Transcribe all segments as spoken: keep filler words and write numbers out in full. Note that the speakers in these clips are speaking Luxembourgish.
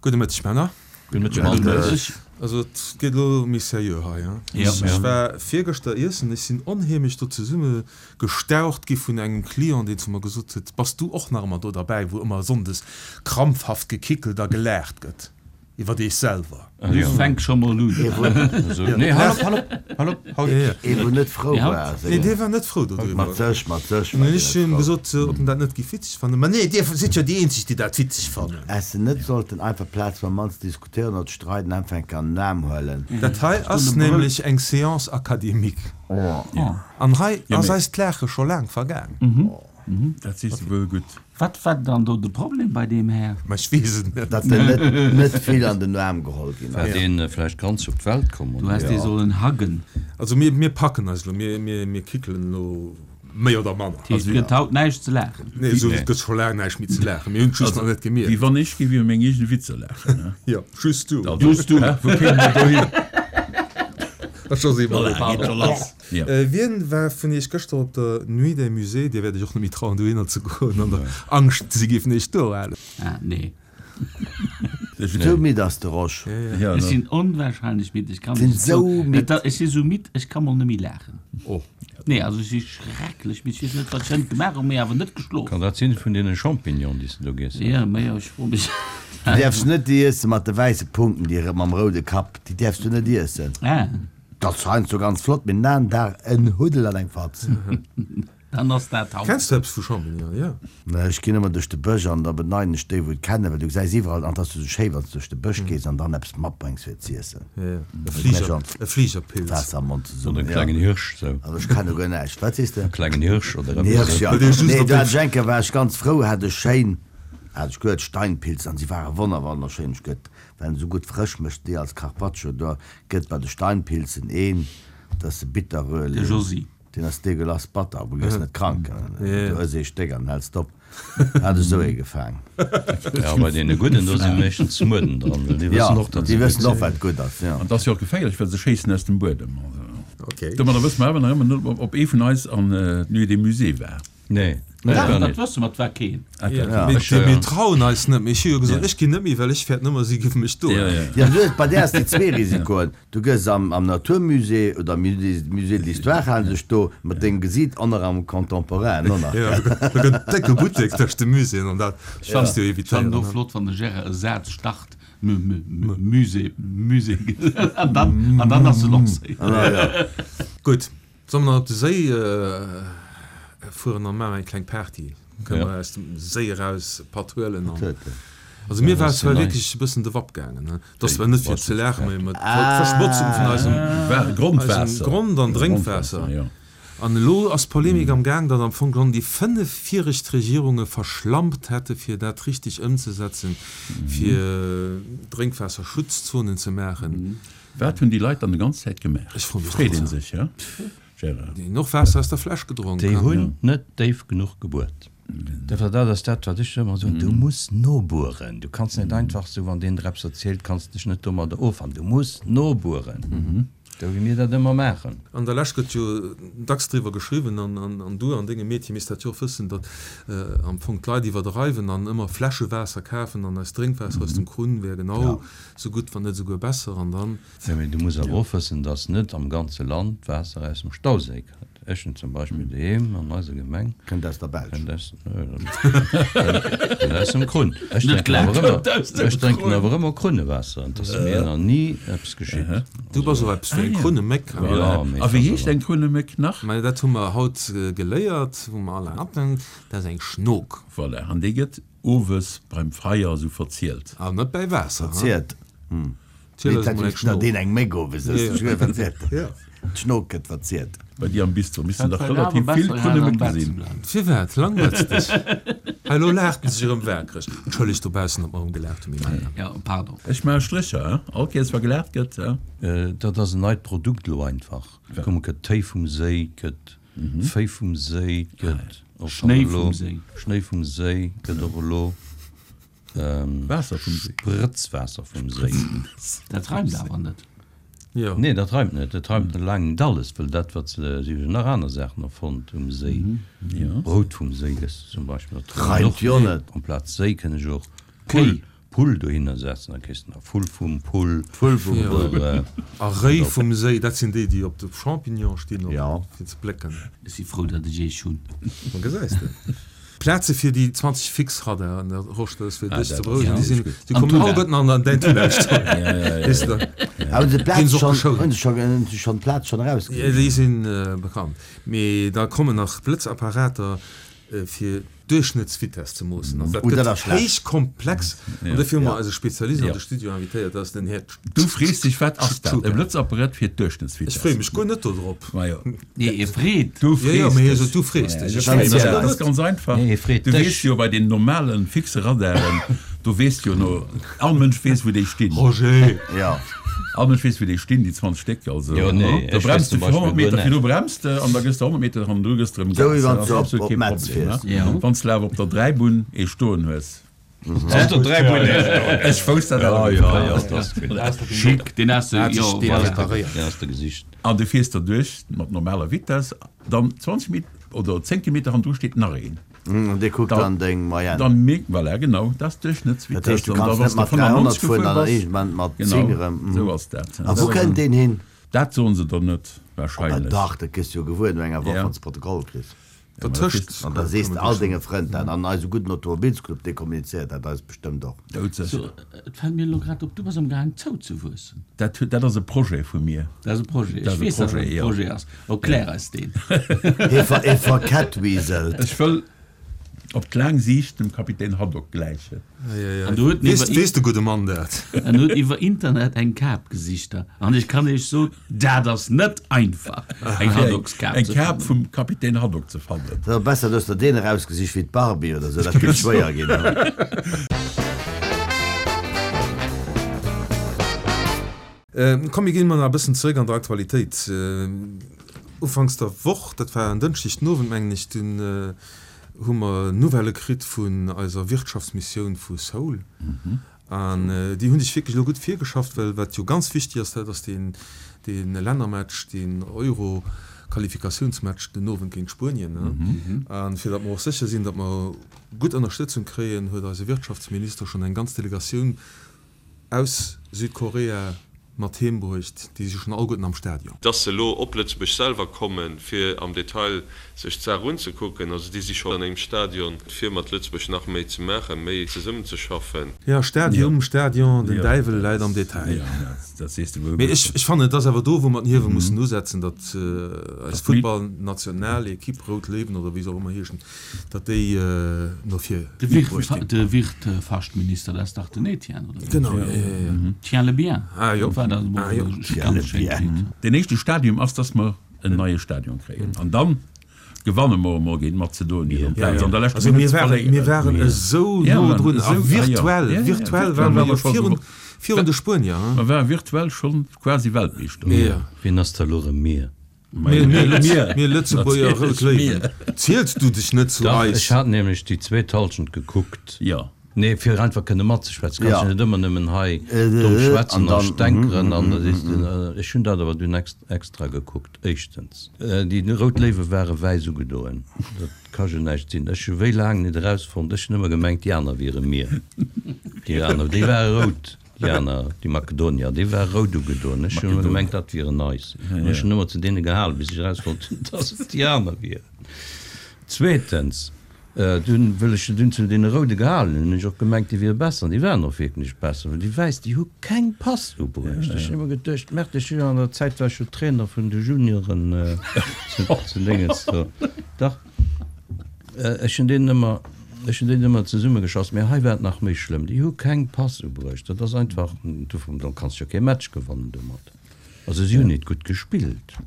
Gudde Mëtteg, Männer. Gudde Mëtteg, Männer. Also et geet elo méi seriö hei. Ech war virgëschter iessen, ech sinn onheemlech do zesumme gestaucht gi vun engem Client, deen zu mer gesot huet, Bass du och nach ëmmer do derbäi, wou ëmmer sonndes krampfhaft gekickelt a gelaacht gëtt iwwer eech selwer? Du fänks scho mol un. Nee, hal op, hal op, hal op, haut. Ee wou net frou war. Nee, dee war net frou dodriwwer. Mat sech, mat sech war deen Ech net hunn him frou. gesot, ob en dat net géif witzeg fannen. Ma nee, dir sidd jo déi eenzeg, déi dat witzeg fannen. Häss se net sollten einfach Plaz mam Mann ze diskutéieren oder ze streiden anfänken an den Aarm huelen. Dat hei ass nämlech eng Séance académique. An hei ass eist Laache scho laang vergaang. Dat sees de wuel gutt. Wat war dann do de Problem bei deem Här? Ma ech weess et net. Datt en net net vill an den Aarm geholl ginn War ass. deen vläicht ganz op d'Welt komm, Du oder? häss dee sollen huggen. Also mir, mir packen eis elo, mir, mir, mir kickelen elo méi oder manner. Dat heescht, et gëtt haut näischt ze laachen. Nee, esou, et gëtt scho laang näischt méi ze laachen. Mir hunn et just nach net Wéi gemierkt. wann ech géif iwwer meng eegene Witzer laachen, ne? Jo, just du. Just du. Hä? Wou kéime mer dohin? Dat ass scho Voilà, geet scho lass. Ja. Wien war vun iech gëschter op der Nuit des Musées? Dir wäert iech och net méi trauen dohinner ze goen an der Angscht si géifen iech do halen. Ah, nee. Sou midd ass de Rosch. Ja, Ech sinn onwahrscheinlech midd. Ech kann Sinn nicht sou midd. Ech si sou midd, ech ka mol net méi laachen. Oh. Nee, also ech si schrecklech midd. Ech weess net, wat ech hënt gemaach hunn, mee awer net geschlof. Kann dat sinn vun deene Champignonen, déi s de do giess hues? Ja, ma jo, ech froe mech. Du däerfs net déi iesse mat de wäisse Punkten, déi mam roude Kapp, déi däerfs du net iessen. Ah. Dat ass heiansdo ganz flott, mee den aneren Dag en Huddel an eng Fatz. Dann ass dat haut. Kenns du eppes vu Champignonen? Jo. Mä ech ginn ëmmer duerch de Bësch an da beneiden ech déi, wou et kennen, well du gesäis iwwerall, an et ass jo sou schéi, wann s du duerch de Bësch gees an dann eppes matbréngs fir et z'iessen. Ja, ja. E Fliger, e Fligerpilz. Waasser am Mond Oder zesummen, en ja. klengen Hirsch, sou. Also ech kenne guer näischt. Wat sees de? E klengen Hirsch oder En eppes Hirsch, esou. ja. Well dee just Nee, op do dem. hat ech eng Kéier, war ech ganz frou, hat ech schéin, hat ech gehuet, Steinpilz, an si ware wonner wonnerschéin. Ech gëtt Well en esou gutt frësch mécht, déi als Carpaccio, do gëtt bei de Steinpilzen een, dat ass de Bitterröhrling. De Josy. Deen ass degueulass batter, awer du gëss net krank, du ëss ee Stéck an häls op. Hat ech esou ee gefaang. Ja, bei deene gudden, do si meeschtens Mueden dran, well déi wëssen och, datt déi se gutt wëssen och, sinn. wat gutt ass, jo. An et ass jo och geféierlech, well se schéissen aus dem Buedem. Okay. Domadder wësse mer awer nach ëmmer net, ob ee vun eis an d'Nuit des Musées war. Nee, ech Dach, war dat net. wësse mer, et war keen. Ja, mir, Ech, äh, mir trauen eis net méi. Ech hu jo gesot, ech ginn net méi, well ech fäert nëmmer, si géife mech do. Ja, ja. Ja, du hues, bei där has de zwee Risikoen. Du gëss am, am Naturmusée oder am Musée, Musée de l'Histoire halen sech do mat dengem Gesiit an nach am Contemporain, och nach. Ja, do gëtt en décke Buttek tëscht de Muséeën an dat kanns du Ech fannen evitéieren. och flott, wann de Gérard e Saz start, M, m, m, Musée, Musée, an dann, an dann ass e lancéiert. Ah, ja. Gutt, solle mer nach op de Séi fueren an maachen eng kleng Party? Kënne mer aus dem Séi eraus e Patt huelen an. Also mir war zwar wierklech e bëssen de Wapp gaangen, ne? Dat ass zwar net fir ze laachen, mee mat d'Verschmotzung vun eisem eisem Grond an Drénkwaasser. An elo ass d'Polemik am Gaang, datt am Fong geholl déi fënnef viregt Regierunge verschlampt hätte fir dat richteg ëmzesetzen, fir Drénkwaasserschutzzonen ze maachen. Wat hunn déi Leit dann déi ganz Zäit gemaach? Ech froe mech Freet dat een och. sech, ja? Gérard. Déi hunn och Waasser aus der Fläsch gedronk. Déi hunn net déif genuch gebuert. Dofir, dat ass dat, wat ech ëmmer soen, Du muss nobueren. Du kanns net einfach esou, wann deen der eppes erzielt, kanns dech net domadder offannen. Du muss nobueren, esou wéi mir dat ëmmer maachen. An der Lescht gëtt jo dacks driwwer geschriwwen, an du an dengem Metier misst dat jo och wëssen, datt am Fong d'Leit iwwerdreiwen an ëmmer Fläschewaasser kafen an eist Drénkwaasser aus dem Krunn wär genau esou gutt, wann net esouguer besser. An dann. Jo, mee du muss awer och wëssen, dass net am ganze Land d'Waasser aus dem Stauséi kënnt. Ech hunn zum Beispill doheem an eiser Gemeng. Kënnt aus der Belsch. Kënnt aus, kënnt aus dem Krunn. Ech drénken awer ëmmer, ech drénken awer ëmmer Krunnewaasser an 't ass mir nach ni eppes geschitt. Du bass och eppes fir eng Krunneméck, he? Jo, mee A wéi heescht eng Krunneméck nach? Mä dat hu mer haut geléiert, wou mer alle hatten, dat ass eng Schnok. Voilà, an déi gëtt owes beim Feier esou verzielt. An net bäi Waasser, he? Verzielt, hm. Ziel Nee, eis dat emol eng ist na Schnok. deen eng Méck owes ësst. Ja. Ech hunn verzielt. Ja. D'Schnok gëtt verzielt. Bei dir am Bistro missten Dat dach war awer relativ vill besser, hei am Krunnemécke Bett ze sinn. bleiwen. Firwat langweils dech? Hei elo laacht en sech erëm waakreg. Entschëllegt dobaussen, datt mer erëm gelaacht hunn, mee Männer. Ja, pardon. Ech maache Strécher, he? All Kéiers wa gelaacht gëtt, he? Dat ass en neit Produkt elo einfach. Komm, et gëtt Téi vum Séi, et gëtt Féi vum Séi, et gëtt och schonn Schnéi elo vum Séi. Schnéi vum Séi gëtt och elo Waasser vum Séi. Sprëtzwaasser vum Séi. Dat reimt awer net. Jo. Nee, dat reimt net. Dat reimt laang net alles, well dat, wat se, si hu jo nach aner Saachen erfonnt um Séi. Brout vum Séi gëss de zum Beispill. Dat reimt Reimt och jo net. Amplaz Séi kënn ech och Pull, Pull dohinner setzen, da kriss de nach Vull vum Pull. Vull vum Pull. A Réi vum Séi, dat sinn déi, déi op de Champignon stinn, fir ze plécken. Ech si frou, datt ech eech hunn. Ma gesäis de. Plaze fir déi zwanzeg Fixradaren, Rosch, dat ass fir dech ze berouegen, déi sinn, déi kommen alleguerten an däin Tunnel. Weess de? A hunn se d'Plaz schonn, hunn se schonn, hunn se schonn d'Plaz schonn erausginn? Jo, déi si bekannt. Mee da kommen nach Blëtzapparater, fir d'Duerchschnëttsvitess ze moossen. Also dat gëtt héich komplex. An dofir hu mer eise Spezialist an de Studio invitéiert, dat ass den Här. Du frees dech, wat ass dat, e Blëtzapparat fir d'Duerchschnëttsvitess? Ech freeë mech guer net dodrop. Majo. Nee, e freet. Du frees dech. Jo, jo, mee hie sot, du frees dech. Ech freeë mech Dat ass ganz einfach. Nee, e freet Du dech. weess jo, bei den normale fixe Radaren, do weess jo no, all Mënsch weess, wou déi stinn. Roger! Jo. All Mënsch weess, wou déi stinn, déi zwanzeg Stéck. Also, Jo, nee, do ech weess bremst zum de fir honnert Beispill guer Meter virdu näischt. bremst de an da gëss de honnert Meter hannendru gëss de erëm Esou wéi Gas. wann Dat s ass du op, absolut op kee Metz Problem, fiers. ne? Jo. Wann s de awer op der Dräibunn ee stoen hues. Op der Dräibunn ee stoen. Ech wousst dat Ja, awer. ja, ja, dat ass gutt. Schick, deen has de, Hat jo, sech voilà. depreparéiert. Deen has de gesicht. An du fiers derduerch mat normaler Vitess, dann zwanzeg Meter oder zéng Kilometer hannendru steet nach een. An dee kuckt dann deng Moyenne. Dann mierkt, voilà, genau, dat ass Dat heescht, d'Duerchschnëttsvitess. du An da kanns wann net s de mat dräihonnert fënnfannonzeg fueren gefuer an dann bass, iergendwann mat genau, zéng erëm. esou ass dat. A wou kënnt deen hin? Dat soen se der net, Oh, wahrscheinlech. dach, dat kriss du jo gewuer no enger Woch, Ja. wann s de Protokoll kriss. Dertëscht. An da sees de all denge Frënn dat. An eise gudden Automobilsclub, dee kommunizéiert dat eis bestëmmt och. Doudsécher. So, et fält mir elo grad op, du bass am gaang zouzewuessen. Dat, dat ass e Projet vu mir. Dat ass e Projet. Dat Ech ass e weess, datt dat Projet, e jo. Projet ass. Erklär eis deen. Hie ver, hie verkettwieselt. Ech wëll op d'laang Siicht dem Kapitän Haddock gläichen. An du huet Weess, iwwer, weess de gudde Mann dat? en huet iwwer Internet eng Kap gesicht da. An ech kann iech soen, dat ass net einfach, eng Haddockskap Eng ze Kap fannen. vum Kapitän Haddock ze fannen. Et ass besser, du hues der deen erausgesicht wéi d'Barbie oder sou, dat géif schwéier ginn. Komm, mir ginn mol nach e bëssen zeréck an der Aktualitéit. Ufanks der Woch, dat war en Dënschdeg den Owend, mengen ech, dunn hu mer Nouvellë kritt vun eiser Wirtschaftsmissioun vu Seoul. An déi hunn sech wierklech elo gutt virgeschafft, well wat jo ganz wichtig ass, dat ass deen, dee Lännermatch, deen Euro-Qualifikatiounsmatch den Owend géint Spuenien. A fir datt mer och sécher sinn, datt mer gutt Ënnerstëtzung kréien, huet eise Wirtschaftsminister schonn eng ganz Delegatioun aus Südkorea mat heem bruecht, déi si schonn alleguerten am Stadion. Dass se elo op Lëtzebuerg selwer kommen, fir am Detail sech d'Saach unzekucken. Also déi si scho an engem Stadion, fir mat Lëtzebuerg nach méi ze maachen, méi zesummenzeschaffen. Jo, Stadium, Stadion, den Däiwel läit am Detail. Mee ech, ech fannen, et ass awer do, wou mer den Hiewel mussen usetzen, datt eis Futtballnationalequipe, Rout Léiwen oder wéi se och ëmmer heeschen, datt déi no vir bruecht ginn. De Wirtfachtminister, dat ass dach den Etienne, oder wéi? Genau, jo, jo, jo. Tiens le bien. Ah jo. War dat Ah jo. Ganz schéin Lidd. Den éischte Stadium ass, dass mer en neie Stadion kréien. An dann gewanne mer emol géint Mazedonien amplaz an der leschter Also mir Minutt ze waren, verléieren. mir waren esou Ja, no mer drun. waren A esou, ah jo. virtuell, Ja, ja, virtuell virtuell ware ware mer mer scho virun, esou. virun de Spuenier, hein. Mer ware virtuell schonn quasi Weltmeeschter. Ja. Wien ass da elo erëm mir? Mir, mir, Lëtz, mir Lëtzebuerger Rout Léiwen. Ziels du dech net zu Dach, eis? ech hat nämlech déi zweet Hallschent gekuckt. Jo. Nee, fir einfach kënne matzeschwätzen. Kanns Ja. jo net ëmmer nëmmen hei Äh, domm schwätzen an a dann, stänkeren an da sees de, ech hunn dat awer dunn extra gekuckt. Éischtens, déi Rout Léiwe ware wäiss ugedoen. Dat ka jo näischt sinn. Ech hu wéi laang net erausfonnt, ech hunn ëmmer gemengt, déi aner wiere mir. Déi aner, déi ware rout, déi aner, déi Makedonier, déi ware rout ugedoen. Ech hunn ëmmer gemengt, dat wieren eis. An ech hunn ëmmer zu deene gehalen, bis ech erausfonnt hunn, dass et déi aner wieren. Zweetens, Dunn, wëll ech dunn zu deene Roude gehalen hunn, hunn ech och gemengt, déi wiere besser. An déi waren och wierklech besser, well déi Wäiss, déi hu keng Pass ubruecht. Ech hunn ëmmer geduecht, Merde, ech hunn an der Zäit war ech jo Trainer vun de Junioren zu Déngens do. Dach, ech hunn deenen ëmmer, ech hunn deenen ëmmer zesummegeschoss. Mä hei war et nach méi schlëmm, déi hu keng Pass ubruecht. Dat ass einfach, du kanns jo kee Match gewannen domat. Also si hunn net gutt gespillt,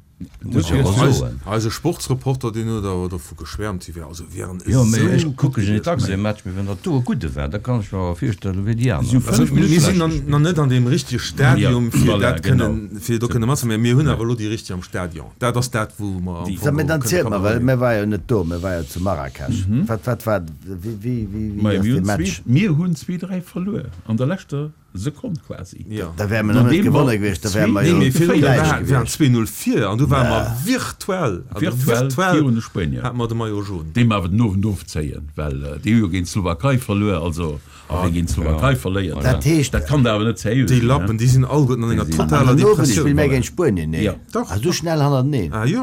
muss ech awer soen. Eise Sportsreporter, deen huet awer dovu geschwäermt, si wär also wieren Jo, mee esou ech gutt kucke jo net gewiescht. dacks e Match, mee wann dat do e gudde war, da kann ech mer awer virstellen, wéi déi aner. Si hu Also fënnef mir Minutte sinn schlecht nach gespillt. net an deem richtege Stadium, Ja, fir voilà, dat genau. kënnen, fir do kënne matze, mee mir hunn awer elo déi richteg am Stadion. Dat ass dat, wou mer am So, Fong mee och dann kënne zielt mer, well Kamera mir war jo net do, mir war jo zu Marrakesch. Wat, wat war, wéi, wéi, wéi, wéi Majo, ass mir dee hunn Match? zwee, mir hunn zwee, dräi verluer an der leschter. Sekonn quasi. Jo. Da wäre mer net gewonne gewiescht, da wäre mer jo Nee, mee virun gläich war waren gewiescht. zwee Null vir an du ware mer virtuell, also Virtuell virtuell virun de Spuenier. hate mer de Maillot jaune. Déi mer awer den Owend ofzéien, well déi hu jo géint d'Slowakei verluer, also a wie géint d'Slowakei verléiert, Dat heescht. dat kann der awer net seriö Déi sinn, Lappen, déi sinn alleguerten an enger Déi sinn- An totaler den Owend Depressioun. spille mir géint Spuenien, nee? Jo. Dach. Ah, sou schnell hannerteneen? Ah jo.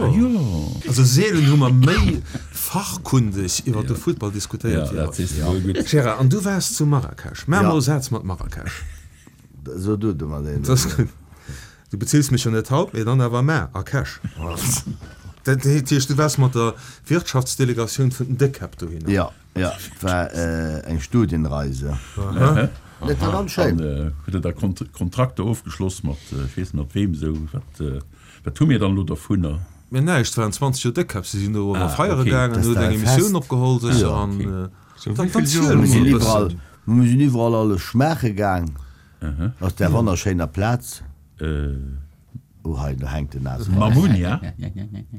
Also seelen hu mer méi fachkundeg iwwer de Futtball diskutéiert Ja, wéi dat haut. sees de wuel gutt. Gérard, an du waars zu Marrakesch. Maach Ja. mol e Saz mat Marrakesch. So du du mat Dat ass gutt. Du bezills mech jo net haut, mee dann awer mar a Cash. Dat heescht, du waars mat der Wirtschaftsdelegatioun vun den Déckkäpp dohinner. Ja, ja, et war eng Studienreise. Dat war ganz schéin. An huet Der da Kontrakter ofgeschloss mat, ech weess net mat weem esou, wat, wat hu mir dann elo dovunner? Mir näischt, et waren zwanzeg Joer Déckkäpp, si sinn do ëmmer feiere okay. gaangen, Dat huet war eng e Emissioun Fest. opgeholl sécher Ja, an okay. dann wéi vill ziel Joer Mir sinn mol e iwwerall, bëssen. mir sinn iwwerall alles schmaache gaang. Ass där wonnerschéiner Plaz. Oh hei, do hänkt den Nase. Mamounia?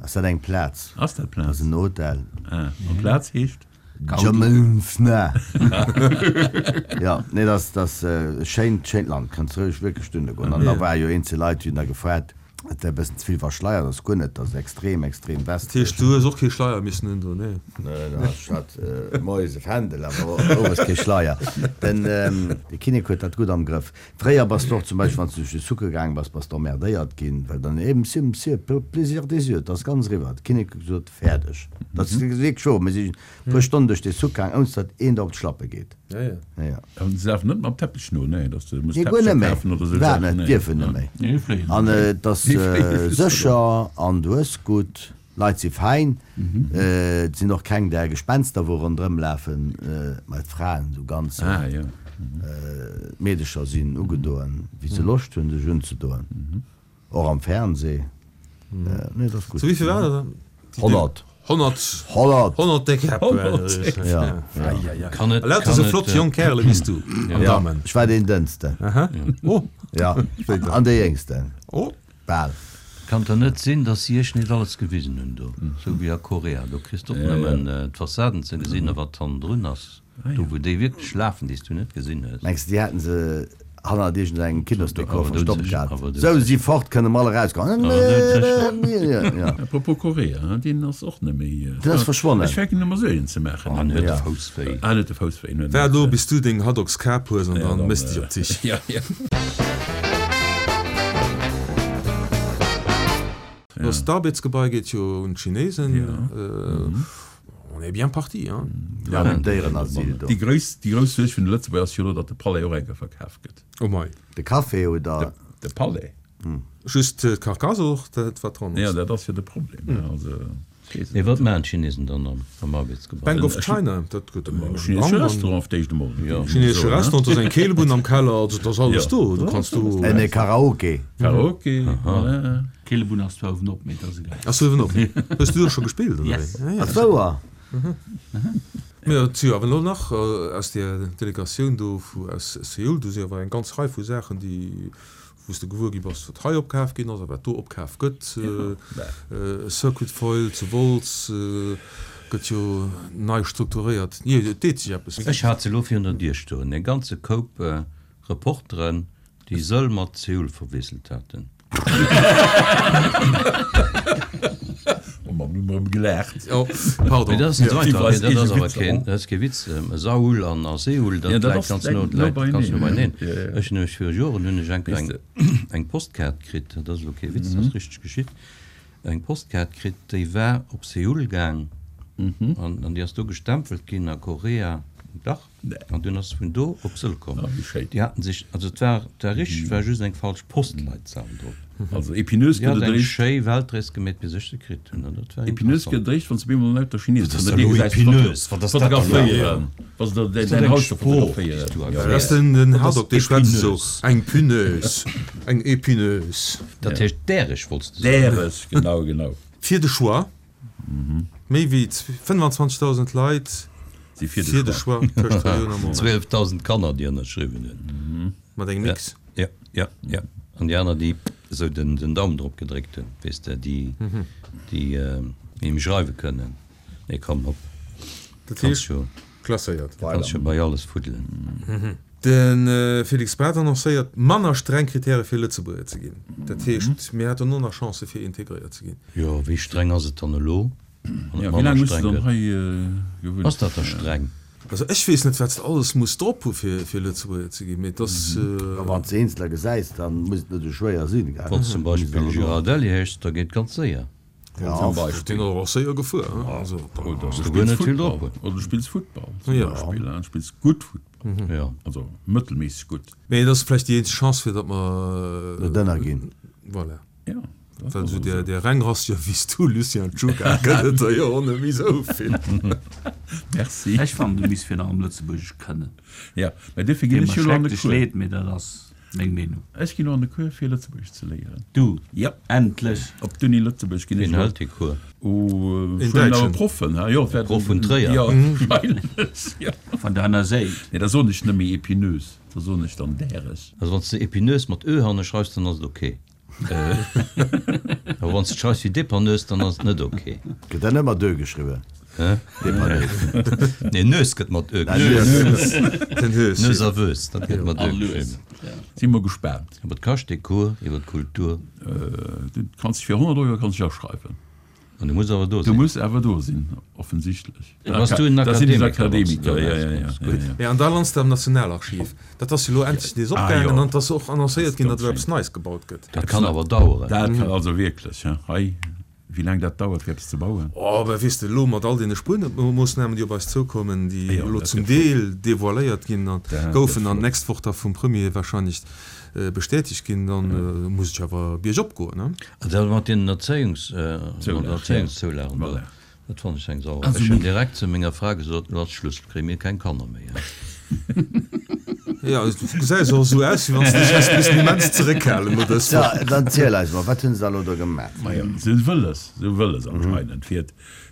Ass dat eng Plaz? Ass dat Dat ass Plaz? en Hotel. Ah, an Plaz heescht? Djamilfna. Ja, nee, dat ass, dat ass e schéint, schéint Land. Kanns roueg wierklech dohinner goen. An da war jo eenzel Leit, déi hunn da gefrot, et wär e bëssen ze vill verschleiert. Ass guer net, dat ass extrem, extrem Dat westlech. heescht, du hues och kee Schleier missen un do, nee? Nee, da ech hat moies e Fändel, awer owes kee Schleier. Den, de Kinnek huet dat gutt am Grëff. Fréier bass de och zum Beispill, wann s du duerch de Sucke gaang bass, bass de emmerdéiert ginn, well dann, eh, Monsieur, Monsieur, pour plaisir des yeux, et ass ganz eriwwer. De Kinnek huet gesot, Fäerdeg. Dat ass wierklech wouer. Mir sinn e puer Stonnen duerch de Suck gaang, ouni datt een der op d'Schlappe geet. Ja, ja. Ja, ja. An se lafen net mam Teppech no, nee, dass de muss Nee, guer Teppecher net méi. kafen oder sou Iwwerhaapt Saachen, net, nee. dierfen net méi. Nee, fléien. An et ass Déi fléie just sécher an du hues gutt, Leit si fein, et sinn och keng där Gespenster wou ronderëm lafen, mä d'Fraen sou ganz, Ah, ja. d'Meedecher sinn ugedoen wéi se Loscht hunn sech unzedoen, och am Fernseh. Nee, et ass gutt. Zu wéi vill war dat dann? Honnert. Honnert. Honnert. Honnert déck Käpp. Honnert. Ja, ja. Kann et, Lauter kann sou et, flott äh, jonk Kärele wéi s du an Ja, Damen. ech war deen Dënnsten. Aha. Oh. Ja, an dee Jéngsten. Oh. Bal. Kann et net sinn, dass si iech net alles gewisen hunn do, sou wéi a Korea? Do kriss de och nëmmen d'Fassaden ze gesinn, a wat hannendrun ass, do wou déi wierklech lafen, déi s du net gesinn hues. Mengs de, déi hätten se hannert iergendengem Kinosdekor Awer verstoppt doudsécher, gehat? awer Sou doudsécher. si fort, kënne mer all erausgoen. Awer doudsécher. Ja. Apropos Korea, deen ass och net méi. Deen ass verschwonnen. Ech fänken ëmmer sou een ze maachen. An huet de Ja. Fouss wéi. Ah, huet de Fouss wéi. Waart elo, bis du deng Haddockskap hues an Ja, dann dann, méchs dech op d'Sich. Ja, ja. Das Arbetsgebai geet jo un d'Chinesen. Ja. On est bien parti, hein. Ja, den Déierenasyl do. Déi grouss, déi grouss Suerg vun de Lëtzebuerger ass jo elo, datt de Palais och eng Kéier verkaf gëtt. Oh mei. De Café oder? De Palais. Just d'Carcasse och, dat wat dran Ja, ass. dat ass jo de Problem. Ja, also, ech weess Mee net. wat maachen d'Chinesen dann am, am Arbeitsgebai? Bank of China, dat gëtt e Chinesesche Restaurant auf d'éischt emol. Ja. Chinesesche Restaurant, do ass eng Keelebunn am Keller, also et ass alles Ja. do. Du kanns do. En Karaoke. Karaoke, voilà. Keelebunn ass zwar uewen op, mee dat ass egal. Ass uewen op. Hues du do scho gespillt, oder Yes. wéi? Ah, ja. Ass wouer? Mee et si jo awer elo nach aus där Delegatioun do vu aus Seoul, do si awer eng ganz Rei vu Saachen, déi, wou s de gewuer gi bass, wat hei opkaf ginn ass a wat do opkaf gëtt. Circuit Foil zu Wolz gëtt jo nei strukturéiert. Jo, et deet sech eppes. Ech hat se elo virun der Dier stoen, e ganze Koup Reporteren, déi Seoul mat Seoul verwiesselt haten. Oh Mann, hu mer erëm gelaacht. Oh, pardon. Mee dat ass net esou Ja, einfach. déi Dat ass weis awer keen, dat ass kee Witz. Saoul an a Seoul, dat Ja, dat läit ass ganz läit no, no läit ganz no beieneen. beieneen. Ja, ja. Ech hunn nämlech viru Joren hunn ech eng Weess eng de. eng Postkaart kritt, dat ass elo kee Witz, dat ass richteg geschitt, eng Postkaart kritt, déi war op Seoul gaang an an déi ass do gestempelt ginn a Korea. Dach. Nee. An dunn ass se vun do op Sëll komm. Ah, wéi schéin. Déi haten sech, also et war, et war richteg, et war just eng falsch Postleitzahl drop. Also Epineuse Déi gëtt hat et eng eréischt, schéi Weltrees gemeet, bis ech se kritt hunn, an dat war Epineuse interessant. gëtt et eréischt, wann s de bemol lauter Chinesen Wat ass vun da der elo Dir gesäis Epineuse? Wat ass dat dann elo? fotograféieren. Wa se der Ass dat däin eng Haus do Sprooch, déi s fotograféieren. du Ja. Dat erkläers? ass den, den Wat ass Haddock, dee schwätzt esou, Epineuse? Eng Puneuse, eng Epineuse. Dat heescht däreg, wollts de soen? Däreg, genau, genau. Fir de Choix, méi wéi fënnwanzwanzegdausend Leit Si fir de fir de Choix. Choix tëscht Relioun a Moral. Zwielfdausend Kanner, déi ënnerschriwwen hunn. Mat engem Ja, X. ja, ja, ja. An déi aner, déi esou den, den Daumen drop gedréckt hunn, weess de, déi, déi äh, méi schreiwe kënnen. Nee, komm, hopp. Dat Kannst heescht, jo, klasséiert. kannst jo bei alles fuddelen. De Félix Braz annoncéiert manner streng Kritäre fir Lëtzebuerger ze ginn. Dat heescht, mir hätten och nach Chancë fir integréiert ze ginn. Jo, wéi streng ass et dann elo, wann Ja, et wéi manner laang hues du streng dann gëtt? hei gewunnt? Ass dat da streng? Also ech weess net, wat s de alles muss drop hu fir fir Lëtzebuerger ze ginn, mee et ass. A wann s de Eenzeler gesäis, dann muss et net esou schwéier sinn, gell? Wann s zum Beispill Girardelli heeschs, da geet ganz séier. Ja. Zum Beispill. Deen ass och séier gefuer, hein? Also, Oder du du guer spills net vill Futtball. drop hunn. Oder du spills Futtball zum Ja. Beispill, hein? Du spills gutt Futtball. Ja. Also mëttelméisseg gutt. Mee et ass vläicht déi eenzeg Chance, fir datt mer. Net ënnerginn. Voilà. Ja, dat Well ass esou also där, esou. där Rengrassiger wéi s du, Lucien Czuga, gëtt et der jo och net méi esou vill. Merci. Ech fannen, du misst virun allem Lëtzebuergesch kënnen. Ja, mä duerfir ginn Deet ech mer jo elo an de schrecklech Cours. leed, mee dat ass meng Meenung. Ech ginn elo an de Cours, fir Lëtzebuergesch ze léieren. Du? Ja. Endlech! Op d'Uni Lëtzebuerg ginn ech Wien elo. hëlt dee Cours? Oh, Een ech huelen awer Däitschen. Proffen, ha? Jo, et wäerten. Proff vun Tréier. Ja, wahrscheinlech, ja. Van der aner Säit. Nee, da soen ech net méi Epineuse, da soen ech dann Däreg. Also wann s de Epineuse mat ö hanne schreifs, dann ass et ok. Awer wann s de et schreifs wéi Depanneuse, dann ass et net ok. Gëtt dat net mat ö geschriwwen? Hä? Depanneuse. Nee, Neus gëtt mat ö geschriwwen. Den Höschen. Neus a Wös, dat gëtt mat ö geschriwwen. Si mer gespaant. A wat kascht dee Cours iwwer d'Kultur? Du kanns dech fir honnert Euro kanns dech aschreiwen. An du muss awer do Du sinn. muss awer do sinn, offensichtlech. Da bass du en Da sinn ech Akademiker, wann s du Akademiker, do ja, ja, erauskommst. ja, Gutt. ja, ja. Ja, an da lands de am Nationalarchiv. Dat ass jo elo endlech nees Ah, opgaangen jo. an et ass och annoncéiert Dat ginn, ass datt elo ganz eppes schéin. Neies gebaut gëtt. Dat kann awer daueren. Dat kann also wierklech, ja. Hei, wéi laang dat dauert, fir eppes ze bauen. Oh, mä weess de, elo mat all deene Spuermoossnamen, déi op eis zoukommen, déi Jo, elo dat zum gëtt flott. Deel devoiléiert ginn an Dat gëtt goufen an flott. d'nächst Woch da vum Premier wahrscheinlech bestätegt ginn, dann muss et jo awer biergop goen, ne? An dat mat deenen Erzéiungs, mat Zoulagen, der Erzéiungszoulagen do, Voilà. dat fannen ech eng Sauerei. Also Ech hunn mir. direkt zu menger Fra gesot, elo ass Schluss, kréie mir keng Kanner méi. Jo, du gesäis och esou aus, wéi wann s de dech häss missen immens zeréckhalen no dës So, Woch. dann ziel eis mol, wat hunn se da elo do gemaach? Majo, se hu wëlles, se hu wëlles anscheinend, fir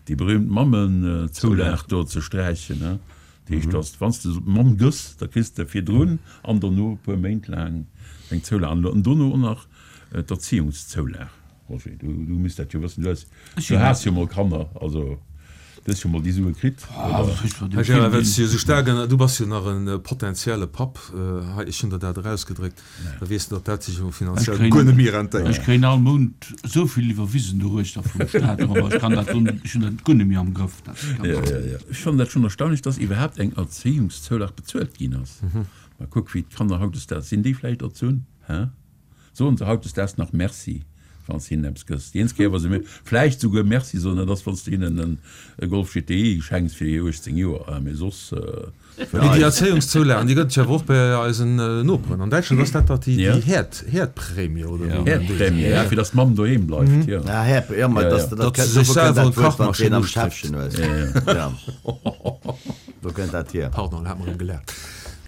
déi berühmt Mammenzoulag do ze sträichen, ne? Dat heescht, dass, wann s de Mamm gëss, da kriss de virdrun an dono e puer Méint laang eng Zoulag an dono och nach d'Erziehungszoulag. Roger, du, du misst dat jo wëssen, du hues, du has jo mol Kanner, also du hues jo mol déi Sue kritt, oder? Här Gérard, well s du jo esou staark ënner, du bass jo nach e potenzielle Papp, hei, ech hunn der dat erausgedréckt, da weess de, datt dat sech jo finanziell guer net méi rentéiert. Ech kréien all Mount esou vill iwwerwisen doruechter vum Staat, awer ech kann dat, ech hunn dat guer net méi am Grëff, dat Ja, ja, ja. Ech fannen dat schonn erstaunlech, dass iwwerhaapt eng Erziehungszoulag bezuelt ginn ass. Ma kuck, wéi d'Kanner hautdesdaags sinn, déi vläicht erzunn, hä? Soen se hautdesdaags nach Merci, wann s de hinnen eppes gëss? Déi eenzeg Kéier, wa se mir vläicht souguer Merci soen, dat ass, wann s de hinnen en e Golf G T I schenks fir hir uechtzéng Joer, mee soss. Mee déi Erzéiungszoulagen, déi gëtt et jo awer och bei eisen Noperen. An Däitschland ass dat dach déi Herd, Herdprämie oder wéi man déi. Herdprämie, ja, fir datt d'Mamm doheem bleift, jo. Ja, Herd, jo, ma datt de dat Datt se sech kënnt, wou kënnt selwer dat en Wuert, wann s de Kachmaschinn een am ustréckt. Schäffchen hues? Ja. Wou kënnt dat hier? Pardon, hat mer erëm gelaacht.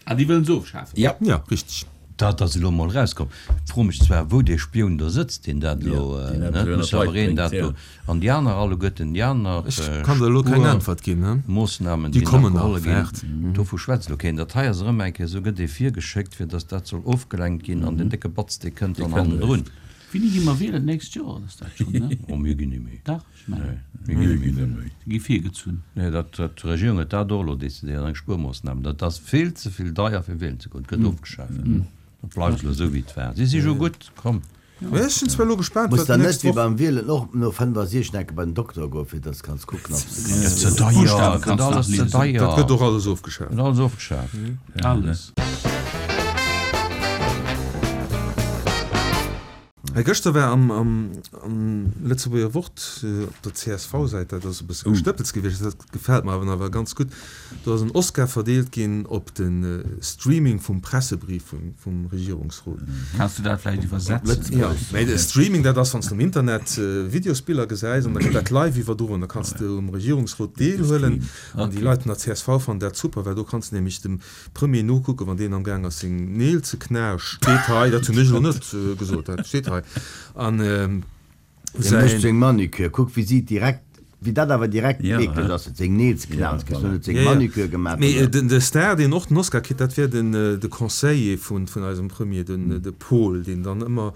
Ah, déi wëllen se ofschafen? Ja. Ja, richteg. Dat ass elo mol erauskomm. Fro mech zwar, wou dee Spioun do sëtzt, deen dat elo, deen dat net? elo Muss awer een dat ja. do. An déi aner alleguerten, déi aner Ech kann der elo keng Äntwert ginn, ne? Spuermoossnamen, Déi déi nach kommen nach, geholle ginn, waart. dovu schwätzt elo keen. Dat hei ass erëm eng Kéier, esou gëtt ee virgeschéckt, fir datt dat soll ofgelenkt ginn an den décke Batz, dee kënnt dann hannendrun. Wéini gi mer wielen? D'nächst Joer ass dat schonn, ne? Oh, mir ginn net méi. Dach, ech mengen. Mir ginn net méi. Se gi virgezunn. Nee, dat, dat, d'Regierung huet dat och elo decidéiert, eng Spuermoossnam. Dat ass vill ze vill deier fir wielen ze goen. Et gëtt ofgeschaaft. Dat bleift elo esou wéi et war. Si si jo gutt, komm. Mä ech sinn zwar elo gespaant, Muss wat dann net d'nächst wéi Woch. beim Wielen och no fënnefasiechzeg enke bei den Dokter goen, fir dass kanns kucken, ob s de kanns Gëtt ze wielen? deier, Buschtawe gëtt kanns nach alles ze liesen. deier. Dat gëtt och alles ofgeschaaft. Gëtt alles ofgeschaaft. Alles. Hei gëschter war am, am, am Lëtzebuerger Wort op der C S V-Säit, dat ass e bësse Gestëppels gewiescht, dat gefält mer awer awer ganz gutt, do ass en Oscar verdeelt ginn op de Streaming vum Pressebrief vum, vum Regierungsrot. Kanns du dat vläicht iwwersetzen? Jo, mä de Streaming, dat ass, wann s de um Internet Videosbiller gesäis an da gëtt dat live iwwerdroen, da kanns de um Regierungsrot deelhuelen. An déi Leit vun der C S V fannen dat super, well do kanns de nämlech dem Premier nokucken, wann deen am Gaang ass seng Neel ze knasch, steet hei, dat hunn ech elo net gesot, dat steet hei, an Dee mécht säin. seng Manicure, kuck wéi si direkt Wéi dat awer direkt eekleg ass, huet seng Neel geknaust, kriss huet seng Manucure gemaach. Mee de Star, deen och den Oscar kritt, dat wär den de Conseiller vun vun eisem Premier, den de Paul, deen dann ëmmer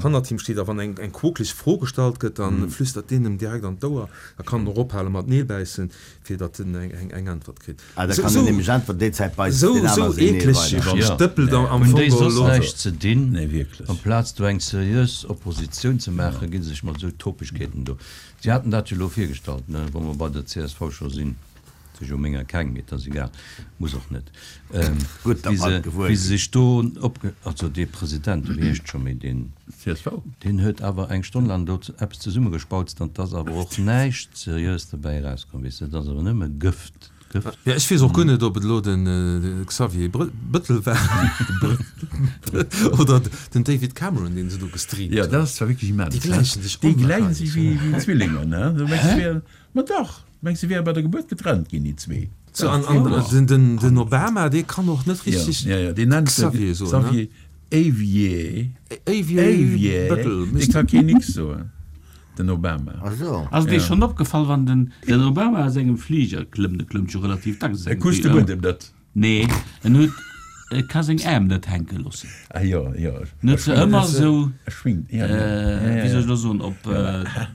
hannert him steet a wann eng eng quokeleg Fro gestallt gëtt, da flüstert deen em direkt an d'Ouer, da kann en och ophale mat Neel bäissen, fir datt en eng eng eng Äntwert kritt. Ah, da kann en nämlech äntweren, déi Zäit beisst Esou deen esou aner seng Neel eekleg weider. stëppelt am Hunn Fong déi soss elo. näischt ze dinn? Nee, wierklech. Amplaz do eng seriös Oppositioun ze maachen, gi se sech mat esou Topegkeeten do. Si haten dat jo elo virgestallt, ne, wa mer bei der C S V scho sinn, et si jo menger keng, mee et ass egal, muss och net, Gutt, datt wéi mer se, et gewuer wéi se ginn. sech do opge-, also dee President, wéi heescht scho méi deen, C S V? Deen huet awer eng Stonn laang do eppes zesummegespautzt an 't ass awer och näischt Seriös derbäi erauskomm, weess de, et ass awer nëmme Gëft. Gëft. Jo, ech weess och guer net, ob et elo den Xavier Bëttel war oder den David Cameron, deen se do gestreamt Jo, hunn. dat ass zwar wierklech immens, Déi he? gläichen sech Déi gläichen sech onwahrscheinlech. wéi Zwillinger, ne? Du mengs, se wären, ma dach, du mengs, se wäre bei der Gebuert getrennt ginn, déi zwee. So, an, an den, den Obama, dee kann och net richteg Ja, ja, ja, deen nennt se Xavier soen, ne? Xavier Avier. Avier Avier, Bëttel, dee Mister ka keen X soen. Den Obama. Ach so. Ass et Iech schonn opgefall, wann den den Obama aus engem Fliger klëmmt, e klëmmt jo relativ dacks aus E engem kuscht de Fliger, Buedem net. Nee, en huet, e ka seng Äerm net hänke loossen. Ah jo, jo. En huet se ëmmer esou, E schwingt, ja, ja. wéi soll ech elo soen, op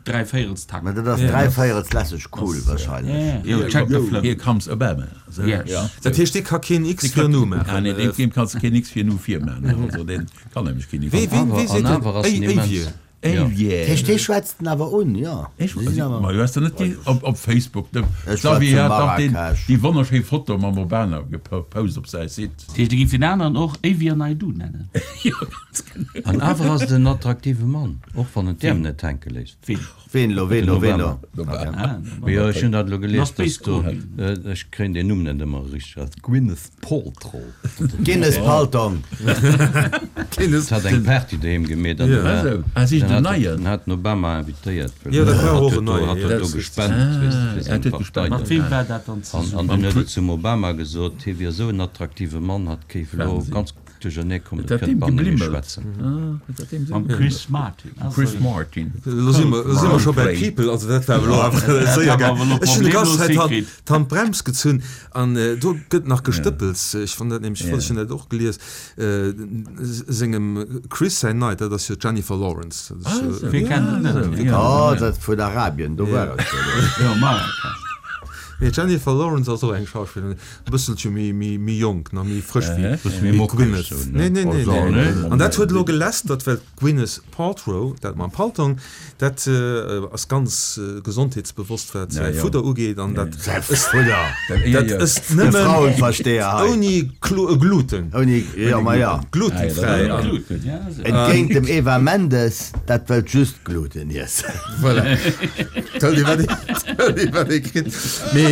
dräivéierelstakt. Mä dat ass dräivéierels lässeg cool wahrscheinlech. Jo, check the flip. Here comes Obama. Esou, Yes. ja. Dat heescht, dee ka keen X fir en U maachen. Ah nee, deem, deem kanns de keen X fir en U virmaachen. Also deen kann nämlech keen X. Wee, ween, wee An seet awer den ass en immens. Avier? Avier. Heescht, dee schwätzt en awer un, jo. Ech, Si sinn awer. ma du has der net déi op, op Facebook, de Ech war Xavier zu hat dach deen, Marrakesch. déi wonnerschéi Foto mam Obama gepost op säi Site. Dat heescht, e géif deen aneren och Avier Naidoo nennen. Jo, ganz genau. An awer ass et en attraktive Mann, och wann en d'Äerm net hänke léisst. Ween? Ween elo, ween Den elo, ween Obama. elo? Obama. Ah, Mee jo, ech hunn dat elo gelies, Ass dass do, Space Cool. ech kréien deen Numm net ëmmer richteg, Gwyneth Paltrow. Guinness Paltong. Guinness. Hat eng Party doheem gemeet an Ja. dann Ah, sou. Ah, si hat den Neien? den hat den Obama invitéiert, well Ja, dat war hat och huet en do, Neien, hat ja. huet do Dat gespent, Ah, weess de, fir er seng huet Partei gespent. Mat do. weem war dat dann An, zesummen? an dann huet en zum Obama gesot, hie wier esou en attraktive Mann, hat kéif elo Wahnsinn. ganz duerchernee kommen, Huet et dat kënnt deem banne méi geblimmelt? schwätzen. Ah, huet dat deem Mam geblimmelt? Chris Martin. Ah, Chris sou. Martin. Elo si mer, elo si mer scho bei Coldplay. People, also dat war elo awer séier hat awer gaangen. elo Ech hunn déi ganz problemlos Zäit d'Hand, hikritt. d'Handbrems gezunn an do gëtt nach gestëppels. Ech fann dat nämlech flott, ech hunn dat och gelies, sengem Chris säin Neit, dat ass jo d'Jennifer Lawrence. Dat ass Ah, jo, sou. Wie kennt et net? Wie kennt Oh, et net? dat vun Arabien, do war ech jo do. Jo, Marrakesch. Nee, d'Jennifer Lawrence ass och eng Schauspillerin, e bësselche méi, méi, méi jonk, nach méi frësch wéi, Bësse méi wéi mockeg d'Gwyneth. sou, ne? Nee, nee, nee, Oh, nee. nee. An dat huet elo gelästert, well d'Gwyneth Paltrow, dat mam Paltong, dat ass ganz gesondheetsbewosst, wat säi Ja, ja. Fudder ugeet, an dat Säi Fudder! dat ësst De nëmmen Frauenversteher hei. ouni Gluten. Ouni, jo, ma ja. Glutenfräi. Ah, ja, An Gluten, ja, sou. Entgéint dem Eva Mendes, dat wëllt just Gluten iessen. Voilà. Tell dir, wat ee, tell dir, wat ee kritt. Mee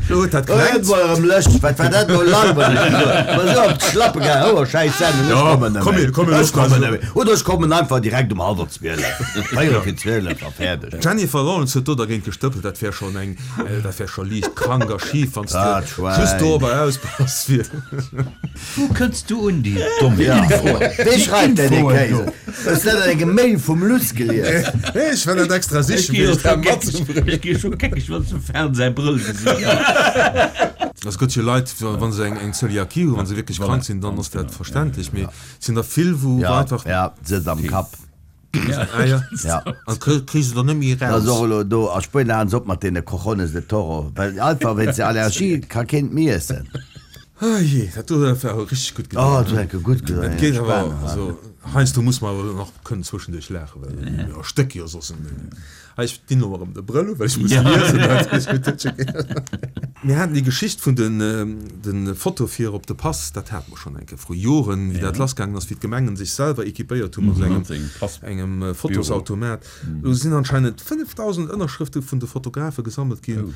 lo huet dat Oh, klengt. et war erëm lëscht. Wat war dat elo langweileg? War esou op d'Schlappe gaangen. Oh, schäiss Sendung, ech Ja, kommen net komm méi. hier, komm hier, Ech los, komm kommen hier. net méi. Oder ech kommen einfach direkt um hallwer zwielef. Véierel fir zwielef a fäerdeg. D'Jennifer Lawrence huet do dergéint gestëppelt, dat wär schonn eng, dat wär scho liicht krank a schif, wann s de Dat Schwäin. just dorobber auspass. Fir. Wou kënns du un déi domm Ja. Infoen? Wee schreift denn dee Infoen Kéis? do. Hues de dat an engem Mail vum Luss gelies? Ech war dat extra Ech sichen, gi fir jo dech scho dat geckeg, matzebréngen. ech gi scho geckeg, wann ech dem Fern säi Brëll gesinn. Es gëtt jo Leit, wa se eng eng Zöliakie hunn, wa se wierklech krank sinn, dann ass dat verständlech. Mee et sinn der vill, wou Ja, einfach. ja, sëtzt am Kapp. Ah ja. Ja. An kri kri se der net méi Dat ass eraus. och elo do a Spuenien halen se op mat deene Cojones de Toro, well einfach wéinst der Allergie ka keen et méi iessen. Ah jee, dat do huet awer richteg gutt Oh, gedoen. dat huet enke gutt gedoen, Et geet ja, awer, Spaass. also heiansdo muss mer awer nach kënnen zwëschenduerch laachen, well mir erstécke jo soss. Hei, ech dinn elo erëm de Brëll u, well ech muss liesen. Dat ass gutt, dat Mir haten déi Geschicht vun den, den Foto fir op de Pass, dat hate mer schonn eng Kéier vru Joren, wéi dat lassgaangen ass, wéi d'Gemengen sech selwer equipéiert hu mat esou engem, engem Fotosautomat. Elo sinn anscheinend fënnefdausend Ënnerschrëfte vun de Fotografe gesammelt ginn,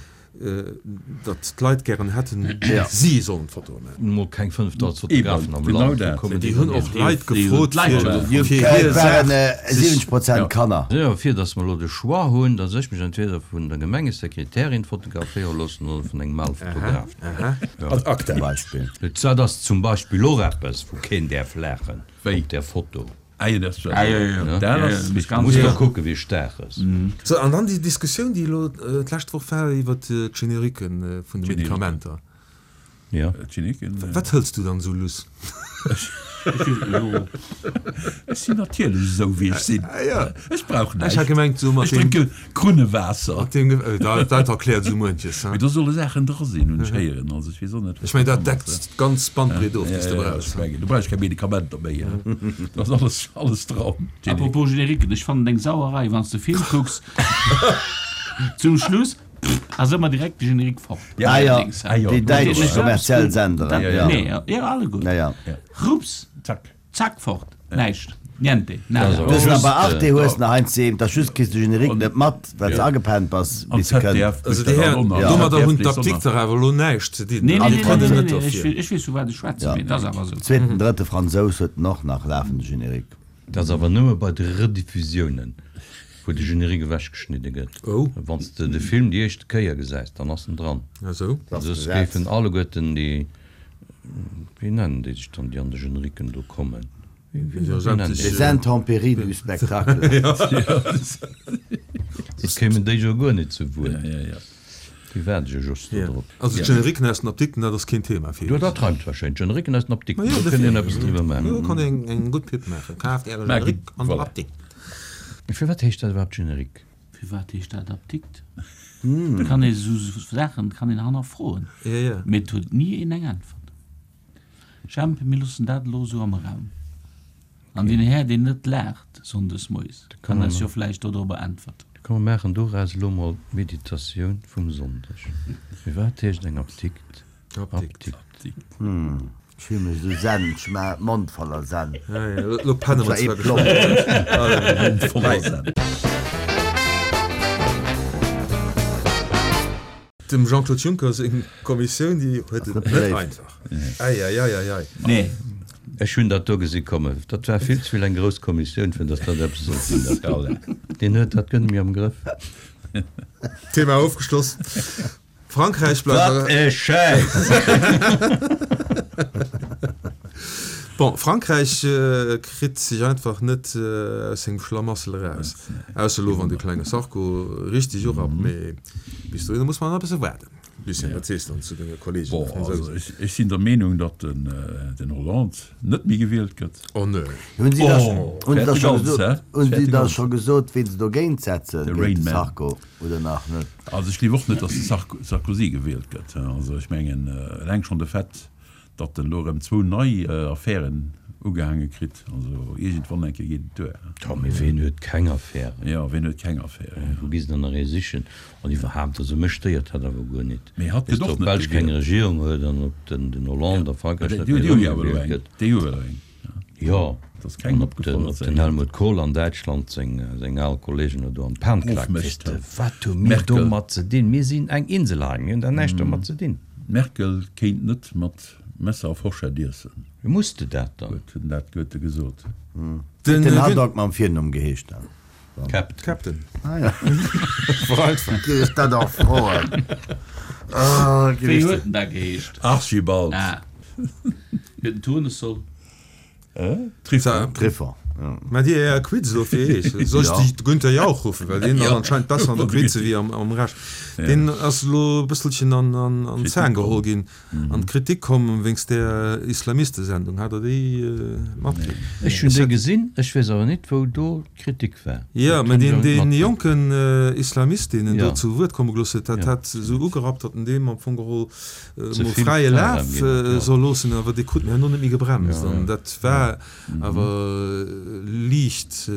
datt d'Leit gären hätten, si sollen d'Fotoe maachen. Mol keng fënnefdausend Fotografen am Land, wou kommen Déi déi hunn dann och hier? Leit gefrot, fir fir Et hir waren Saach sech. siwwenzeg Prozent Kanner. Jo, fir datt mer elo de Choix hunn, datt ech mech entweder vun der Gemengesekretärin fotograféiere loossen oder vun engem Malfotograf. Ad acta. Zum Beispill. Dat ass zum Beispill och eppes, wou keen däerf laachen Wéi? op där Foto. Ah jo, dat war Ah jo, jo, jo. Dat ass Jo, jo, Muss jo. da kucke wéi staark ass. Sou, an dann déi Diskussioun, déi elo d'lescht Woch war iwwert d'Generiquen vun de Medikamenter. Ja. D'Generiquen. Wat hëls du dann esou luss? Ech sinn natierlech esou wéi ech sinn. Ech brauch Ech näischt. hat gemengt esou mat Ech deem. drénke Krunnewaasser. Mat deem, dat dat erkläert esou muenches, Mee hein. do solle Saachen dra sinn, hunn ech héieren. Also ech weess och net, Ech mengen, dat deckt d'ganz Bandbreet of, déi s de Ja, ja, brauchs, ech hein. mengen, do brauch ech keng Medikamenter méi, hein. Do ass alles, alles dran. Apropos Génériquen, ech fannen et eng Sauerei, wann s de Film kucks, zum Schluss ass ëmmer direkt de Générique fort. Ja, Ah ja, Dings, ah jo. déi däitsch Ech kommerziell Senderen, Dat, ja. nee, ja, alleguer. Ja, ja. Rups, Zack. zack, fort. Näischt. Niente. Nada. Du hues nach bei Just, Arte hues nach eins ze, da just kriss de Générique net mat, well s agepennt bass, An bis se kënnt. Z D F Also mécht déi dat Hären, och nach. domadder hunn Z D F léisst och nach. d'Apdikter awer elo näischt ze dinn. Nee, nee, Déi nee, kënnen nee, net nee, ech, derfir. ech weess vu wat ech schwätzen, Ja. mee et ass awer esou. Zweeten, drëtte Fransous huet en och nach lafende Générique. Dat ass awer nëmme bei de Rediffusiounen, wou de Générique ewechgeschnidde gëtt. Oh. Wann s de de Film déi éischte Kéier gesäis, dann ass en dran. Ah sou. Soss géifen alleguerten déi, wéi nennen déi sech dann, déi an de Génériquen do kommen? Wéi, wéi, Jo, wéi nennen déi Les sech? intempéries du spectacle. Soss kéimen déi jo guer net zu Wuert. Ja, ja, ja. Déi waarde jo just do drop. Also d'Generiquen aus den Apdikten, dat ass keen Thema fir Jo, iech. dat reimt warscheinlech. D'Generiquen aus den Apdikten, Ma jo, do kënnt een dofir. eppes driwwer Jo, maachen. kann een eng gutt Pub maachen. Kaaft äre Mä Generique an der voilà. Apdikt. Firwat heescht dat iwwerhaapt Generique? Firwat heescht dat Apdikt? Kann ee sou Saachen kann een hannerfroen. Ja, ja. Mee et huet ni een eng Äntwert. Jemp, mir loossen dat elo sou am Raum. An deen Här, deen net laacht sonndes moies, kann eis jo vläicht dodrobber äntwerten. Da komm, mir maachen doraus elo mol d'Meditatioun vum Sonndeg. Firwat heescht eng Apdikt Apdikt? Apdikt? Ech fill mech esou zen, ech maachen Mond voller Zen. Ja, ja, lo penne mer Zwar ee zwar Plomb. geschwënn. Mond voller Zen. Dem Jean-Claude Juncker seng Kommissioun, déi huet et net net beléift. einfach. Ei, ei, ei, ei, ei. Nee. Ech hunn dat do gesi kommen. Dat war vill ze vill eng grouss Kommissioun, fir datt dat eppes sollt sinn. Dat do. Deen huet dat gëtt méi am Grëff. Thema ofgeschloss. Frankräich bleift Wat e Schäiss! Bon, Frankräich kritt sech einfach net aus sengem Schlamassel eraus. Ausser elo, wann de klenge Sarko richteg urappt. Mee bis dohinner muss mer nach e bësse waarden. Lucien, wat sees de dann zu denge Kollegen, de Bon, also Fransousen? ech, ech sinn der Meenung, datt den, den Hollande net méi gewielt gëtt. Oh nee. Hunn si da Oh, hunn si da fäert de scho Gans, gesot, hä? hunn si Fäert de da Gans. scho gesot, ween se dogéint setzen, De géint de Rain Man. Sarko oder nach net? Also ech gleef och net, datt de Sarko, Sarkozy gewielt gëtt. Also ech mengen, eleng schonn de Fait, datt en elo erëm zwou nei Affären ugehaange kritt, also iergendwann eng Kéier geet et duer. Jo, mee ween huet keng Affären? Jo, ween huet keng Affären? Wou gi se dann nach ee sichen? An iwwerhaapt, also mech stéiert dat awer guer nit. Mee hatt Weess gëtt de, och ob net d'Belsch keng gewielt. Regierung huet an ob den, den Hollande a Frankräich Déi net déi méi hu jo awer elo erëmgewielt eng. gëtt. Déi hu elo eng. Jo, Et ass kengem an ob den, opgefall, ob datt se den eng huet. Helmut Kohl an Däitschland seng, seng al Kollegen do an d'Pan klaakt. Weess Ofmécht, de, ja. wat hu mir Merkel. domat ze dinn? Mir sinn eng Insel hei, mir hunn da näischt domat ze dinn. D'Merkel kéint net mat Messer a Forschett iessen. Wéi muss de dat dann? Huet den dat Goethe gesot. Den Den Haddock mam Virnumm geheescht dann? Captain. Captain. Ah ja. Vereinfacht. Géif ech dat och froen. Oh, géif Wéi ech huet en da geheescht? Archibald. Ah. Huet en Tournesol? Triffon. Triffon, ja. Mä dir Är Quiz elo fir Iech. Soll ech Ja. de Günther Jauch ruffen, well deen ass Ja. anscheinend besser an der Quize wéi am, am Rescht. Deen ass elo e bësselchen an, an, an d'Zang geholl ginn, an d'Kritik komm wéinst där Islamistesendung. Hat der déi matkritt? Ech hunn déi gesinn, ech weess awer net, wou do d'Kritik war. Ja, Dat mä hunn ech deen, awer net deen matkritt. jonken Islamist, deen en Ja. do zu Wuert komme gelooss huet, dat Ja. hat esou ugerappt, datt en deem am Fong geholl Ze mol vill fräie Fräiraum Laf ginn huet, ja. soll loossen, awer dee krut en herno net méi gebremst. Ja, An ja. dat war awer liicht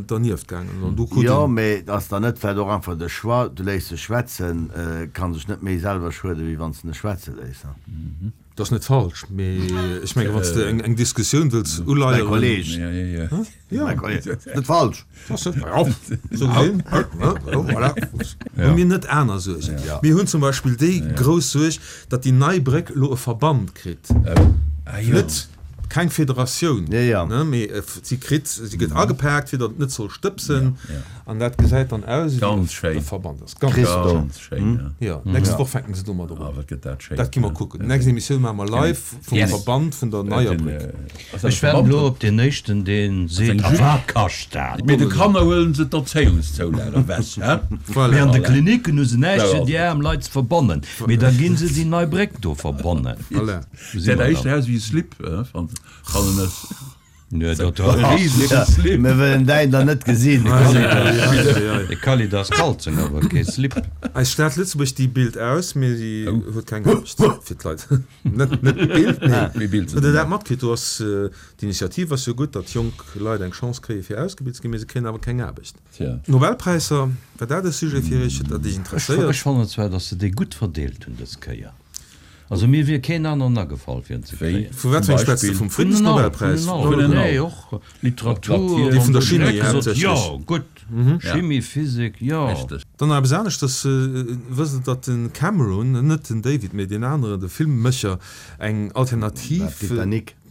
dernieft gaangen. An du krut Jo, en. mee ass dann net vläicht och einfach de Choix, du léiss e schwätzen, kann sech net méi selwer schueden, wéi wann s de en schwätze léiss, ne? Dat ass net falsch, mee ech mengen, wann s de eng, eng Diskussioun wëlls Mäi uleieren. Kolleg. Ja, ja, ja. Ja. Mäi Kolleg. Net falsch. Dat ass net, ja, sou gesinn. Ja, voilà. Hu mir net aner Suergen? Ja. Mir hunn zum Beispill déi grouss Suerg, datt déi nei Bréck elo e Verband kritt. Ah, jo. Net Keng Federatioun, ne, mee si kritt, si gëtt agepaakt, fir datt et net soll stëbsen. An dat gesäit dann aus wéi e Verband. Ass ganz Ganz schéin, jo. D'nächst Woch fänken se domat un. Dat gi mer kucken. D'nächst Emissioun maache mer live vum Verband vun der neier Bréck. Ech waarden elo op deen éischten, dee seet, A wat kascht dat? Mee de Kanner huelen se d'Erzéiungszoulage ewech, he? Mee an de Klinicken hu se näischt fir déi aarm Leit ze verbannen. Mee da ginn se déi nei Bréck do verbannen. Voilà. Säit éischter aus wéi e Slip, fannen ech. Nee, dat e risege Slip. Mir wëllen däin dann net gesinn. De Kalida ass Kalzong, awer kee Slip. Eis Stad Lëtzebuerg, déi bilt aus, mee si huet keng Aarbecht fir d'Leit. Net net bilt, mee bilt. Hutt Der dat matkritt? Do ass d'Initiativ ass jo gutt, datt jonk Leit eng Chance kréie fir ausgebilt ze ginn, mee se kréien awer keng Aarbecht. Nobelpräisser, war dat e Sujet fir Iech, dat Iech interesséiert? Ech fannen zwar, datt se déi gutt verdeelt hunn dës Kéier. Also mir wier keen aneren agefall fir en ze kréien. Vu wat fir engem schwätz de? Vum Friddensnobelpräis? Nee, och Literatur. Dee vun der Chimie haaptsächlech. Jo, gutt, Chimie, Physik, jo. Dann nach eppes aneschters, Wësst Der, datt den Cameron, net den David, mee deen aneren, de Filmmécher, eng Alternativ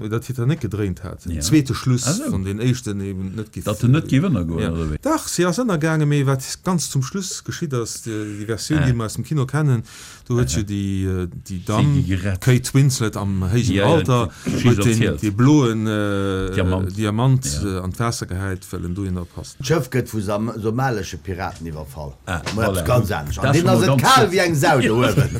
der Titanic gedréint hat? En zweete Schluss, wann deen éischten eben net giff. Datt en net giff ënnergoen, oder wéi? Dach, si ass ënnergaangen, mee wat ganz zum Schluss geschitt ass, déi Versioun, déi mer aus dem Kino kennen, Do huet jo déi Damm, d'Kate Winslet am héijen Alter, huet deen dee bloen Diamant an d'Waasser gehäit, well en dohinner passt. D'Schëff gëtt vu somalesche Piraten iwwerfall. Mol eppes ganz anescht. An deenen ass et kal wéi eng Sau do uewen.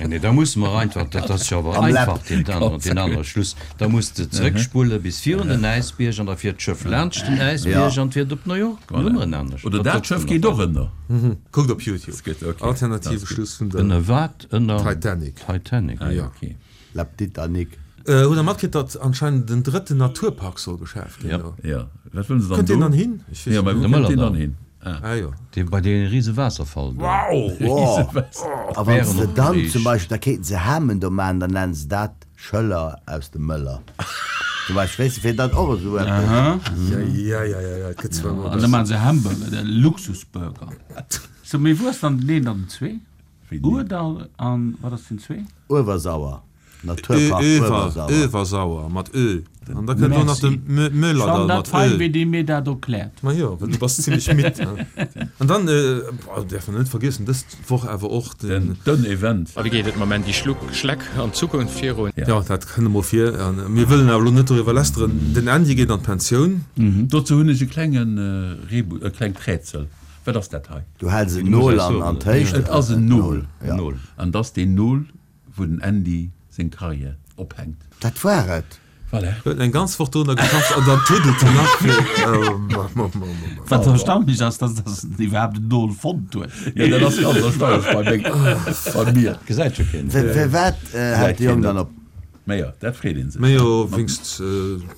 Nee, da musse mer einfach, dat ass jo awer einfach, deen anere Schluss, da muss de zeréckspulle bis virun den Äisbierg an da fiert d'Schëff laanscht den Äisbierg an fiert op New York. Dann hu mer en anescht. Oder dat Schëff geet och ënner. Kuckt op YouTube. Alternative Schluss vun der. Ënner wat? Ënner Titanic. Titanic, ah jo. Okay. La Titanic. Hutt der matkritt, datt anscheinend en drëtten Naturpark soll geschaaft ginn do? Jo, wat wëllen se dann do? Kënnt deen dann hin? Ech weess jo, mä wou kënnt deen dann hin? Ah jo. Dee bei dee rise Waasserfall do. Wow! Rise A wann se dann zum Beispill, da kéinten se Hamen do maachen, dann nennen se dat Schëller aus dem Mëller. Zum Beispill, weess de, fir dann och esou eppes. Ja, ja, ja, ja, et gëtt zwar An da maachen se Hamburger, de Luxusburger. Sou, mee wou ass dann den een an den zwee? Ourdall an wat ass den zwee? Uewersauer, Naturpark Uewersauer. Öewersauer mat Ö. An da kënnt och nach de Mëllerdall mat Ö. Fein wéi dee mir dat erkläert. Ma jo, well du bass zimlech midd. An dann däerf mer net vergiessen, dës Woch awer och den. Den Event. A wéi geet et mam Andy Schluck, Schleck an Zukunft virun? Jo, dat kënnt emol vir. A mir wëllen awer elo net doriwwer lästeren. Den Andy geet an d'Pensioun. Dozou hunn ech e klenge Rebus, e klengt Rätsel. Wat ass dat hei? Du häls en Nol an an d'Héicht. Et ass en Nol. An et ass deen Nol, wou den Andy seng Karriär ophänkt. Dat war et. Voilà. Huet eng ganz Woch dorunner geschafft an dann tuddelt en nach fir. Wat erstaunlech ass, dass dass en iwwerhaapt en Nol fonnt huet. Jo, dat ass ganz erstaunlech bei meng, bei mir. Gesäit jo keen. Firwat hält de Jong dann op? Majo, dat freet een sech. Majo, wéinst,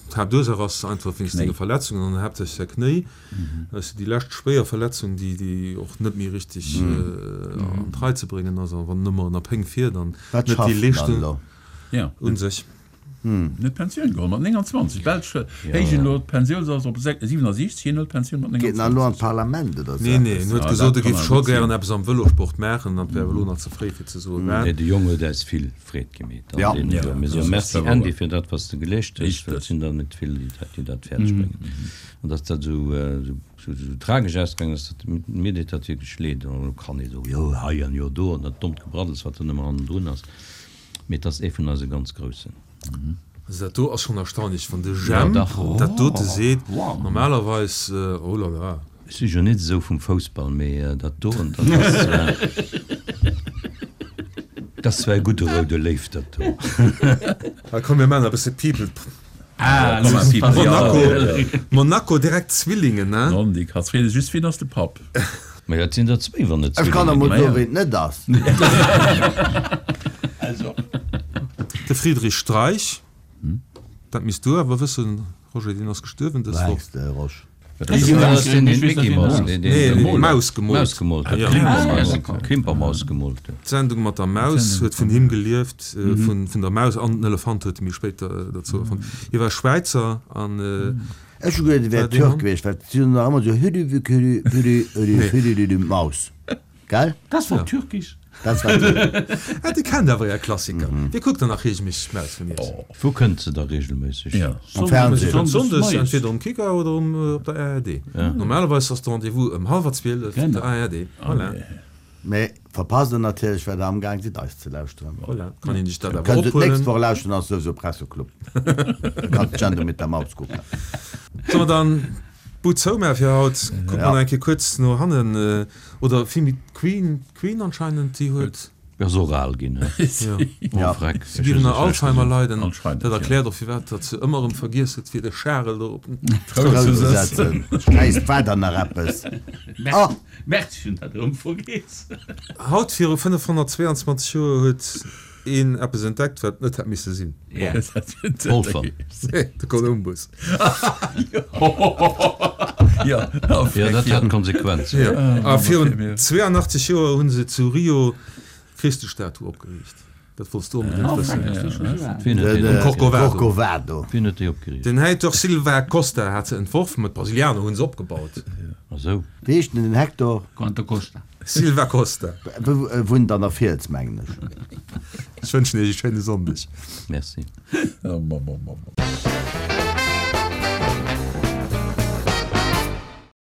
d'Haaptursaach ass einfach wéinst senge Verletzungen an haaptsächlech säi Knéi. Dat ass jo déi lescht schwéier Verletzung, déi, déi och net méi richteg an d'Rei ze bréngen ass. A wann en ëmmer ënner Péng fiert an Wat net déi schafft en dann Leeschtung elo? Ja. u sech. Huet d'Pensioun geholl mat nénganzwanzeg. D'Belsch héijen elo d'Pensiounsalter op siwenasiechzeg, hien huet d'Pensioun mat Geet en dann elo an d'Parlament oder esou Nee, nee, eppes? en huet gesot, e géif scho gären eppes am Vëlosport maachen, an et wär awer elo nach ze fréi fir ze soen wat. Nee, de Jong huet äis vill Freed gemeet an Ja. deene Joer. Mir soe Das ass Merci wouer. Andy fir dat, wat s de geleescht hues, well et Richteg. sinn der net vill, déi dat, déi dat fäerdeg bréngen. An datt dat esou, esou, esou tragesch ausgaangen ass, dat, mir deet dat wierklech leed. An elo kann ee soen, jo hei an jo do an dat dommt Gebraddels, wat dann ëmmer hannendrun ass. Mee et ass ee vun eise ganz Groussen. Also dat do ass schonn erstaunlech, wann de Jemp dat dote seet. Normalerweis, oh là là. Ech si jo net esou vum Foussball, mee dat doen, dat ass, dat ass zwar e gudde roude Léiw, dat do. Ah komm, mir maachen e bësse People. Monaco, Monaco, direkt Zwillingen, ne? Non, déi Katz freet sech just, Wien ass de Papp? Majo, et sinn der zwéi, wann et Ech kann Zwillinge emol ginn. soen, ween et net ass. De Friedrich Streich, dat misst du awer wëssen, Roger, deen ass gestuerwen dës Woch. Mengs de, Rosch? Dat ass deen, deen d'Mickey Mouse, deen Nee, d'Maus gemoolt. D'Maus gemoolt huet, d'Klimpermaus, d'Klimpermaus gemoolt huet. D'Sendung mat der Maus huet vun him gelieft, vun der Maus an den Elefant huet e méi spéit derzou erfonnt. Hie war Schwäizer an. Ech hu geduet, e wär Türk gewiescht, well si hunn nach ëmmer esou hüdü-wü-küdü, hüdü, hüdü, hüdü-düdü, Maus. Gell? Dat war türkisch. Dat war de. Ah, Dir kennt awer är Klassiker. Dir kuckt der nach reegelméisseg d'Maus vum Iess. Wou kënnt se da reegelméisseg? Am Fernsehen. Sonndes entweder um Kicker oder um op der ARD. Normalerweis ass de Rendez-vous ëm hallwer zwielef op der ARD. Voilà. Mee verpasst der natierlech, well der amgaang sidd eis ze lauschteren. Voilà, kann een sech dat awer Kënnt et ophuelen. d'nächst Woch lauschteren, ass souwisou Presseclub. Da kann d'Sendung mit der Maus kucken. Solle mer dann d'Bud zoumaache fir haut? Kucke mer nach eng Kéier kuerz no hannen. Oder villméi d'Queen, d'Queen anscheinend, déi huet. Ass och al ginn, he? Jo. Oh freck. Si géif ënner Alzheimer leiden. Anscheinend, Dat jo. erkläert och firwat datt se ëmmer erëm vergiess huet fir de Charel do op den Troun Troun ze ze setzen. setzen. Schäiss, war der nach eppes? Oh! Merci, hunn dat erëm vergiess. Haut viru fënnefhonnertzweeanzwanzeg Joer huet een eppes entdeckt, wat net hätt misse sinn. Polfer. Nee, de Kolumbus. Jo, Jo, dat hat Konsequenzen. Jo. A virun zweeanachtzeg Joer hu se zu Rio d'Christestatue opgeriicht. Dat wollts du onbedéngt wëssen. Wien huet déi Den Corcovado. Corcovado. Wien huet déi opgeriicht? Den Heitor Silva Costa hat se entworfen, ma d'Brasilianer hu se opgebaut. Ah sou. Wéi heescht denn den Hector? Quanto Costa. Silva Costa. Wunnt an der Fiels, mengen ech. Ech wënschen iech e schéine Sonndeg. Merci. Oh, Mamm, oh, Mamm.